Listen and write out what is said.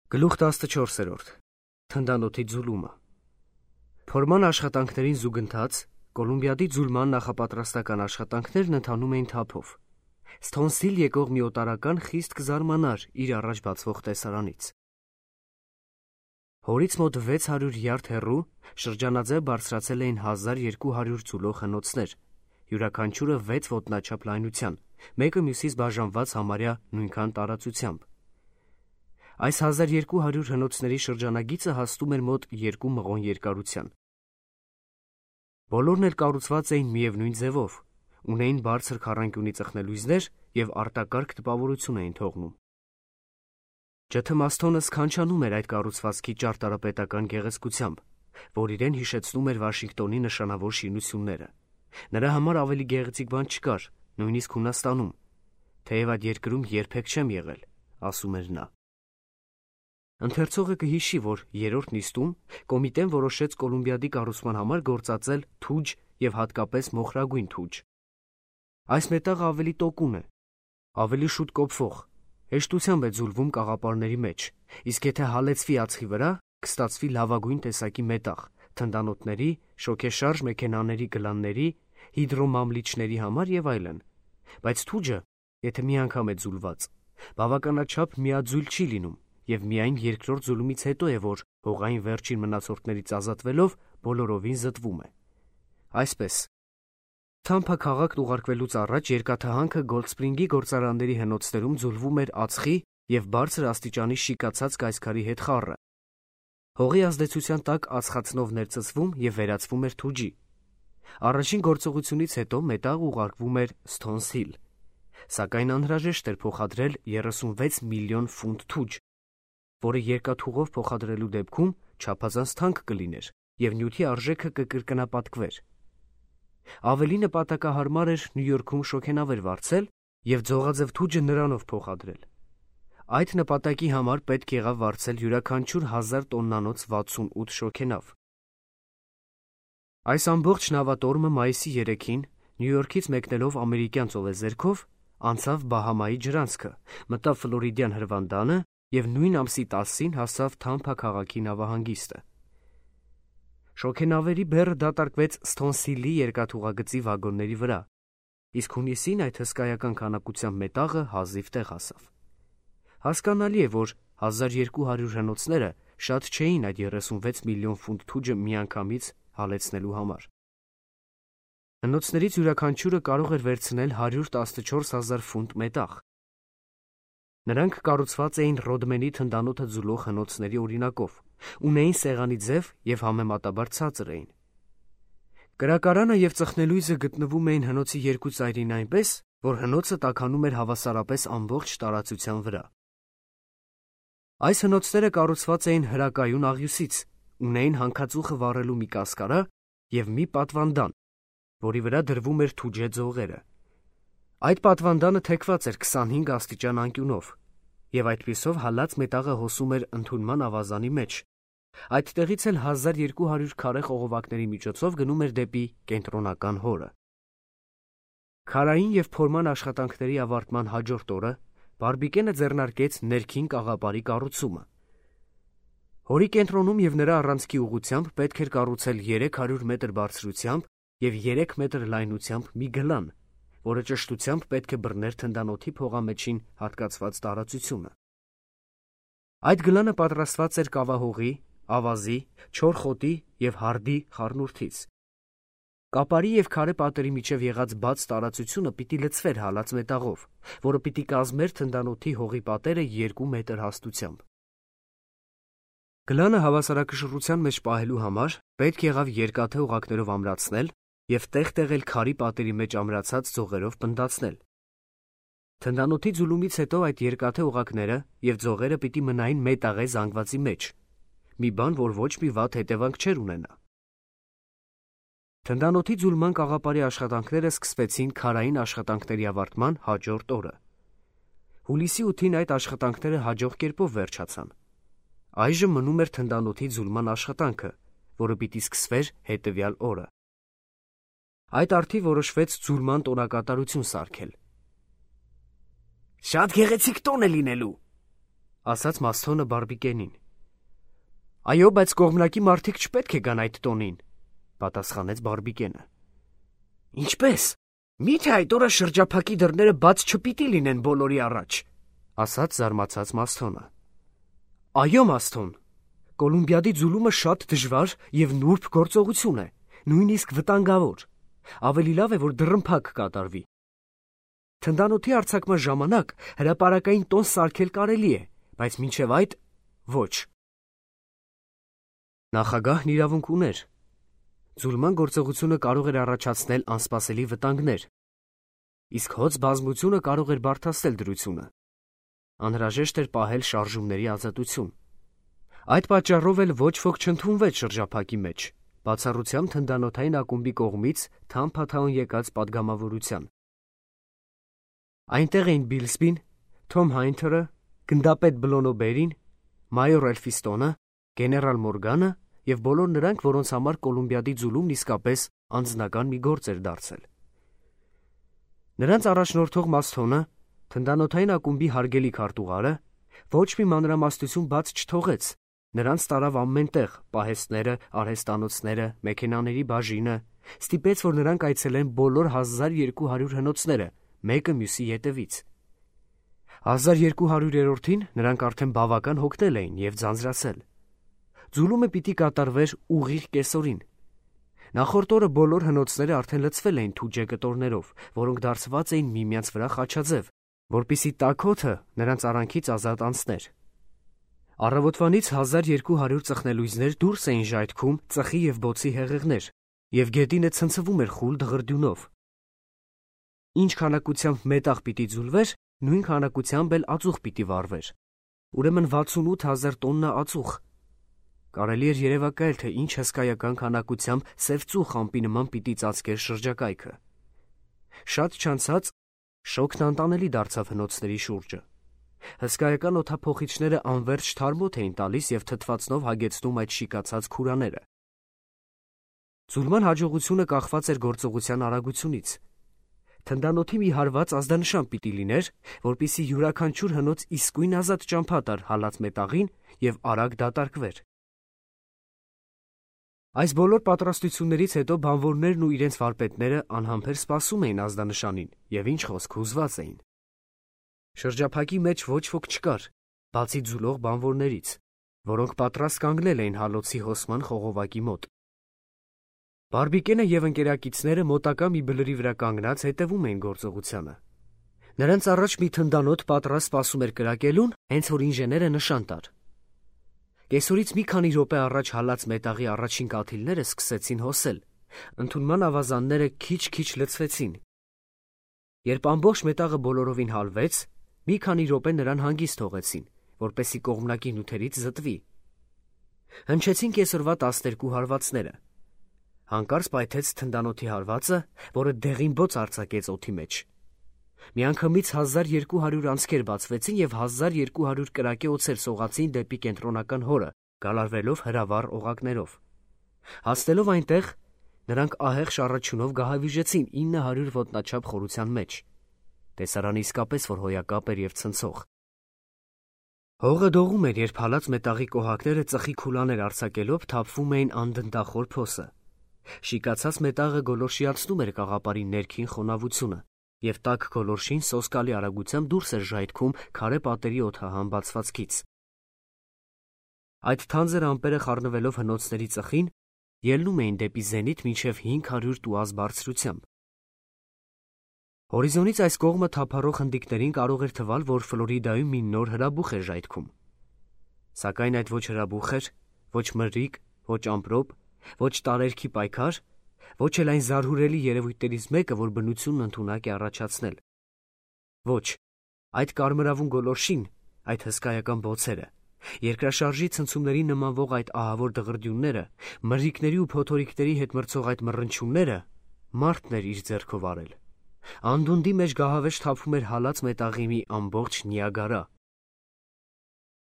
Գլուխ 14. Թնդանոթի ձուլումը։ Փորման աշխատանքներին զուգընթաց Կոլումբիադի ձուլման նախապատրաստական աշխատանքներն ընթանում էին թափով։ Սթոնսիլ եկող մի օտարական խիստ կզարմանար իր առաջ բացվող տեսարանից։ Հորից մոտ 600 յարդ հեռու շրջանաձև բարձրացել էին 1200 ձուլող հնոցներ, յուրաքանչյուրը 6 ոտնաչափ լայնության, մեկը մյուսից բաժանված համարյա նույնքան տարածությամբ։ Այս 1200 հնոցների շրջանագիծը հասնում էր մոտ 2 մղոն երկարության։ Բոլորն էլ կառուցված էին միևնույն ձևով, ունեին բարձր քառանկյունի ծխնելույզներ և արտակարգ տպավորություն էին թողնում։ Ջթմասթոնը սքանչանում էր այդ կառուցվածքի ճարտարապետական գեղեցկությամբ, որ իրեն հիշեցնում էր Վաշինգտոնի նշանավոր շինությունները։ Նրա համար ավելի գեղեցիկ բան չկար, նույնիսկ Հունաստանում, թեև այդ երկրում երբեք չեմ եղել, ասում էր նա։ Ընթերցողը կհիշի, որ երրորդ նիստում կոմիտեն որոշեց Կոլումբիադի կառուցման համար գործածել թուջ և հատկապես մոխրագույն թուջ։ Այս մետաղը ավելի տոկուն է, ավելի շուտ կոփվող, հեշտությամբ է ձուլվում կաղապարների մեջ, իսկ եթե հալեցվի ածխի վրա, կստացվի լավագույն տեսակի մետաղ թնդանոթների, շոգեշարժ մեքենաների գլանների, հիդրոմամլիչների համար և այլն։ Բայց թուջը, եթե մի անգամ է ձուլված, բավականաչափ միաձույլ չի լինում, և միայն երկրորդ ձուլումից հետո է, որ հողային վերջին մնացորդներից ազատվելով բոլորովին զտվում է։ Այսպես, Թամփա քաղաքն ուղարկվելուց առաջ երկաթահանքը Գոլդսպրինգի գործարանների հնոցներում ձուլվում էր ածխի և բարձր աստիճանի շիկացած կայսքարի հետ խառը։ Հողի ազդեցության տակ ածխածնով ներծծվում և վերածվում էր թուջի։ Առաջին գործողությունից հետո մետաղը ուղարկվում էր Սթոնսիլ, սակայն անհրաժեշտ էր փոխադրել 36 միլիոն ֆունտ թուջ, որը երկաթուղով փոխադրելու դեպքում չափազանց թանկ կլիներ և նյութի արժեքը կկրկնապատկվեր։ Ավելի նպատակահարմար էր Նյու Յորքում շոգենավեր վարձել և ձողաձև թուջը նրանով փոխադրել։ Այդ նպատակի համար պետք եղավ վարձել յուրաքանչյուր 1000 տոննանոց 68 շոգենավ։ Այս ամբողջ նավատորմը մայիսի 3-ին Նյու Յորքից մեկնելով ամերիկյան ծովեզերքով անցավ Բահամայի ջրանցքը, մտավ Ֆլորիդյան հրվանդանը և նույն ամսի 10-ին հասավ Թամփա քաղաքի նավահանգիստը։ Շոգենավերի բեռը դատարկվեց Սթոնսիլի երկաթուղագծի վագոնների վրա, իսկ հունիսին այդ հսկայական քանակությամբ մետաղը հազիվ տեղ հասավ։ Հասկանալի է, որ 1200 հնոցները շատ չէին այդ 36 միլիոն ֆունտ թուջը միանգամից հալեցնելու համար։ Հնոցներից յուրաքանչյուրը կարող էր վերցնել 114,000 ֆունտ մետաղ։ Նրանք կառուցված էին Ռոդմենի թնդանոթը ձուլող հնոցների օրինակով, ունեին սեղանի ձև և համեմատաբար ցածր էին։ Կրակարանը և ծխնելույզը գտնվում էին հնոցի երկու ծայրին այնպես, որ հնոցը տաքանում էր հավասարապես ամբողջ տարածության վրա։ Այս հնոցները կառուցված էին հրակայուն աղյուսից, ունեին հանքածուխը վառելու մի կասկարա և մի պատվանդան, որի վրա դրվում էր թուջե ձողերը։ Այդ պատվանդանը թեքված էր 25 աստիճան անկյունով, և այդպիսով հալած մետաղը հոսում էր ընդունման ավազանի մեջ։ Այդտեղից էլ 1200 քառե խողովակների միջոցով գնում էր դեպի կենտրոնական հորը։ Քարային և փորման աշխատանքների ավարտման հաջորդ օրը Բարբիկենը ձեռնարկեց ներքին կաղապարի կառուցումը։ Հորի կենտրոնում և նրա առանցքի ուղղությամբ պետք էր կառուցել 300 մետր բարձրությամբ և 3 մետր լայնությամբ մի գլան, որը ճշտությամբ պետք է բռներ թնդանոթի փողամեջին հատկացված տարածությունը։ Այդ գլանը պատրաստված էր կավահողի, ավազի, չոր խոտի և հարդի խառնուրդից։ Կապարի և քարե պատերի միջև եղած բաց տարածությունը պիտի լցվեր հալած մետաղով, որը պիտի կազմեր թնդանոթի հողի պատերը 2 մետր հաստությամբ։ Գլանը հավասարակշռության մեջ պահելու համար պետք եղավ երկաթե օղակներով ամրացնել և տեղ-տեղ էլ քարի պատերի մեջ ամրացած ձողերով պնդացնել։ Թնդանոթի ձուլումից հետո այդ երկաթե օղակները և ձողերը պիտի մնային մետաղե զանգվածի մեջ, մի բան, որ ոչ մի վատ հետևանք չէր ունենա։ Թնդանոթի ձուլման կաղապարի աշխատանքները սկսվեցին քարային աշխատանքների ավարտման հաջորդ օրը։ Հուլիսի 8-ին այդ աշխատանքները հաջող կերպով վերջացան։ Այժմ մնում էր թնդանոթի ձուլման աշխատանքը, որը պիտի սկսվեր հետևյալ օրը։ Այդ առթիվ որոշվեց ձուլման տոնակատարություն սարքել։ «Շատ գեղեցիկ տոն է լինելու», ասաց Մասթոնը Բարբիկենին։ Այո, բայց կողմնակի մարդիկ չպետք է գան այդ տոնին, պատասխանեց Բարբիկենը։ Ինչպես։ Միթե այդ օրը շրջափակի դռները բաց չպիտի լինեն բոլորի առաջ, ասաց զարմացած Մասթոնը։ Այո, Մասթոն, Կոլումբիադի ձուլումը շատ դժվար եւ նուրբ գործողություն է, նույնիսկ վտանգավոր։ Ավելի լավ է, որ դռնփակ կատարվի։ Թնդանոթի արձակման ժամանակ հրապարակային տոն սարքել կարելի է, բայց մինչև այդ ոչ։ Նախագահն իրավունք ուներ։ Ձուլման գործողությունը կարող էր առաջացնել անսպասելի վտանգներ, իսկ հոծ բազմությունը կարող էր բարդացնել դրությունը։ Անհրաժեշտ էր պահել շարժումների ազատություն։ Այդ պատճառով էլ ոչ ոք չընդունվեց շրջափակի մեջ, բացառությամբ թնդանոթային ակումբի կողմից թամփաթաուն եկած պատգամավորության։ Այնտեղ էին Բիլսբին, Թոմ Հայնթերը, գնդապետ Բլոնոբերին, մայոր Էլֆիստոնը, գեներալ Մորգանը եւ բոլոր նրանք, որոնց համար Կոլումբիադի ձուլումն իսկապես անձնական մի գործ էր դարձել։ Նրանց առաջնորդող Մասթոնը, թնդանոթային ակումբի հարգելի քարտուղարը, ոչ մի մանրամասնություն բաց չթողեց։ Նրանց տարավ ամենտեղ, պահեստները, արհեստանոցները, մեքենաների բաժինը, ստիպեց, որ նրանք այցելեն բոլոր 1200 հնոցները, մեկը մյուսի ետևից։ 1200-րդին նրանք արդեն բավական հոգնել էին եւ ձանձրացել։ Ձուլումը պիտի կատարվեր ուղիղ կեսօրին։ Նախորդ օրը բոլոր հնոցները արդեն լցվել էին թուջե կտորներով, որոնք դարձված էին միմյանց վրա խաչաձև, որպիսի տաքոթը նրանց արանքից ազատ անցներ։ Առավոտվանից 1200 ծխնելույզներ դուրս էին ժայթքում ծխի եւ բոցի հեղեղներ, եւ գետինը ցնցվում էր խուլ դղրդյունով։ Ինչ քանակությամբ մետաղ պիտի ձուլվեր, նույն քանակությամբ էլ ածուխ պիտի վառվեր։ Ուրեմն 68,000 տոննա ածուխ։ Կարելի էր երևակայել, թե ինչ հսկայական քանակությամբ սև ծուխ ամպի նման պիտի ծածկեր շրջակայքը։ Շատ չանցած շոկն անտանելի դարձավ հնոցների շուրջը։ Հսկայական օդափոխիչները անվերջ թարմոթ էին տալիս եւ թթվածնով հագեցնում այդ շիկացած քուրաները։ Ձուլման հաջողությունը կախված էր գործողության արագությունից։ Թնդանոթի մի հարված ազդանշան պիտի լիներ, որպիսի յուրաքանչյուր հնոց իսկույն ազատ ճամփա տար հալած մետաղին եւ արագ դատարկվեր։ Այս բոլոր պատրաստություններից հետո բանվորներն ու իրենց վարպետները անհամբեր սպասում էին ազդանշանին եւ ինչ խոսք հուզված էին։ Շրջափակի մեջ ոչ ոք չկար, բացի ձուլող բանվորներից, որոնք պատրաստ կանգնել էին հալոցի հոսման խողովակի մոտ։ Բարբիկենը եւ ընկերակիցները մոտակա մի բլրի վրա կանգնած հետևում էին գործողությանը։ Նրանց առաջ մի թնդանոթ պատրաստ սպասում էր կրակելուն, հենց որ ինժեները նշան տար։ Կեսօրից մի քանի րոպե առաջ հալած մետաղի առաջին կաթիլները սկսեցին հոսել, ընդունման ավազանները քիչ-քիչ լցվեցին։ Երբ ամբողջ մետաղը բոլորովին հալվեց, մի քանի րոպե նրան հանգիստ թողեցին, որպեսզի կողմնակի նյութերից զտվի։ Հնչեցին կեսօրվա 12 հարվածները։ Հանկարծ պայթեց թնդանոթի հարվածը, որը դեղին բոց արձակեց օդի մեջ։ Միանգամից 1200 անցքեր բացվեցին եւ 1200 կրակե օձեր սողացին դեպի կենտրոնական հորը, գալարվելով հրավառ օղակներով։ Հասնելով այնտեղ, նրանք ահեղ շառաչյունով գահավիժեցին 900 ոտնաչափ խորության մեջ։ Տեսարանը իսկապես որ հոյակապ էր եւ ցնցող։ Հողը դողում էր, երբ հալած մետաղի կոհակները ծխի քուլաներ արձակելով թափվում էին անդնդախոր փոսը։ Շիկացած մետաղը գոլորշիացնում էր կաղապարի ներքին խոնավությունը, եւ տաք գոլորշին սոսկալի արագությամբ դուրս էր ժայթքում քարե պատերի օդահան բացվածքից։ Այդ թանձր ամպերը խառնվելով հնոցների ծխին, ելնում էին դեպի զենիթ մինչև 500 տուազ բարձրությամբ։ Հորիզոնից այս կողմը թափառող հնդիկներին կարող էր թվալ, որ Ֆլորիդայում մի նոր հրաբուխ էր ժայթքում։ Սակայն այդ ոչ հրաբուխ էր, ոչ մրրիկ, ոչ ամպրոպ, ոչ տարերքի պայքար, ոչ էլ այն զարհուրելի երևույթներից մեկը, որ բնությունն ընդունակ է առաջացնել։ Ոչ, այդ կարմրավուն գոլորշին, այդ հսկայական բոցերը, երկրաշարժի ցնցումների նմանվող այդ ահավոր դղրդյունները, մրրիկների ու փոթորիկների հետ մրցող այդ մռնչյունները, մարդն էր իր ձեռքով արել։ Անդունդի մեջ գահավեժ թափում էր հալած մետաղի մի ամբողջ Նիագարա։